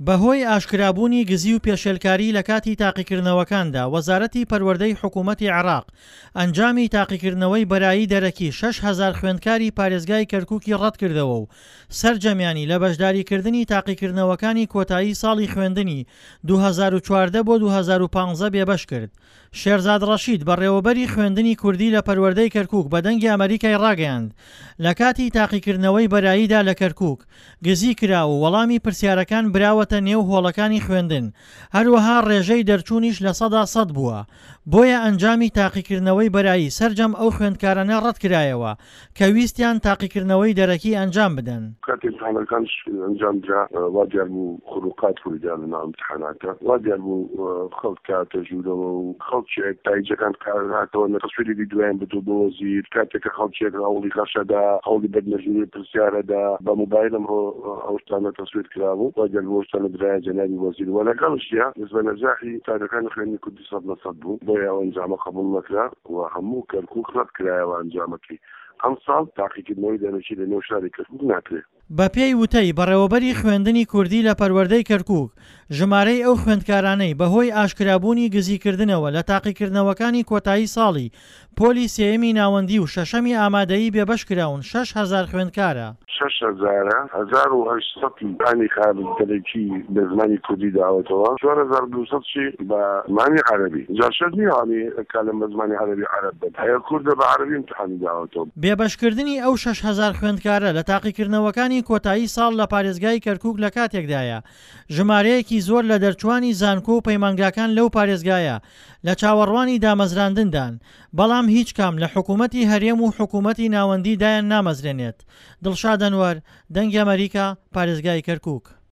بەهۆی ئاشکرابوونی گزی و پێشێلکاری لە کاتی تاقیکردنەوەکاندا، وەزارەتی پەروەردەی حکوومەتی عێراق ئەنجامی تاقیکردنەوەی بەرایی دەرەکی 6000 خوێندکاری پارێزگای کەرکووکی ڕەتکردەوە و سەرجەمیانی لە بەشداریکردنی تاقیکردنەوەکانی کۆتایی ساڵی خوێندنی 2014 بۆ 2015 بێبەش کرد. شێرزاد ڕەشید، بەڕێوەبەری خوێندنی کوردی لە پەروەردەی کەرکووک بە دەنگی ئەمەریکای ڕاگەیاند، لە کاتی تاقیکردنەوەی بەراییدا لە کەرکووک، گزی کرا و وەڵامی پرسیارەکان براوەتە نێو هۆڵەکانی خوێندن، هەروەها ڕێژەی دەرچوونیش 100% بووە، بۆیە ئەنجامی تاقیکردنەوەی بەرایی سەرجەم ئەو خوێندکارانە ڕەتکرایەوە کە ویستیان تاقیکردنەوەی دەرەکی ئەنجام بدەن. کاتێ ئیمتحانەکانش ئەنجام درا وا دیار بوو خروقات ڕوویدا لە ناو ئیمتحاناتە وا دیار بوو خەڵک هاتە ژوورەوە و خەڵکێک تایجەکان هاتەوە لە تەسویری ڤیدیۆیان بردووە بۆ وەزیر کاتێک کە خەڵکێک هەوڵی غەشەدا هەوڵی بردنە ژوورێ پرسیارەدا بە موبایل ئەمڕۆ ئەو شتانە تەسویر کرابوو وا دیار بوو ئەو شتانە درایە جەنابی وەزیر وە لەگەڵشیا نسبە نەجاحی قوتابیەکانی خوێندنی کوردی 100% بوو بۆیە ئەو ئەنجامە قبوڵ نەکرا. و هەموو کەرکوک ڕەت کرایەوە ئەنجامەکەی ئەمساڵ تاقیکردنەوەی دەرەکی لە نێو شاری کەرکوک ناکرێ. بەپێی وتەی بەڕێوەبەری خوێندنی کوردی لە پەروەردەی کەرکوک، ژمارەی ئەو خوێندکارانەی بەهۆی ئاشکرابوونی گزیکردنەوە لە تاقیکردنەوەکانی کۆتایی ساڵی پۆلی سێیەمی ناوەندی و شەشەمی ئامادەیی بێبەشکراون 6000 خوێندکارە. شەش هەزارە، 1800 ئیمتحانی خارج دەرەکی بە زمانی کوردی داوەتەوە، 4200 شی بە زمانی عەرەبی. جا شەرت نییە ئەوانەی کالم بە زمانی عەرەبی عەرەب بن، هەیە کوردە بە عەرەبی ئیمتحانی داوەتەوە. بێبەشکردنی ئەو 6000 خوێندکارە لە تاقیکردنەوەکانی کۆتایی ساڵ لە پارێزگای کەرکوک لە کاتێکدایە، ژمارەیەکی زۆر لە دەرچووانی زانکۆ و پەیمانگاکان لەو پارێزگایە لە چاوەڕوانی دامەزراندندان، بەڵام هیچ کام لە حکوومەتی هەرێم و حکوومەتی ناوەندی دایان نامەزرێنێت. دڵشاد ئەنوەر، دەنگی ئەمەریکا، پارێزگای کەرکوک.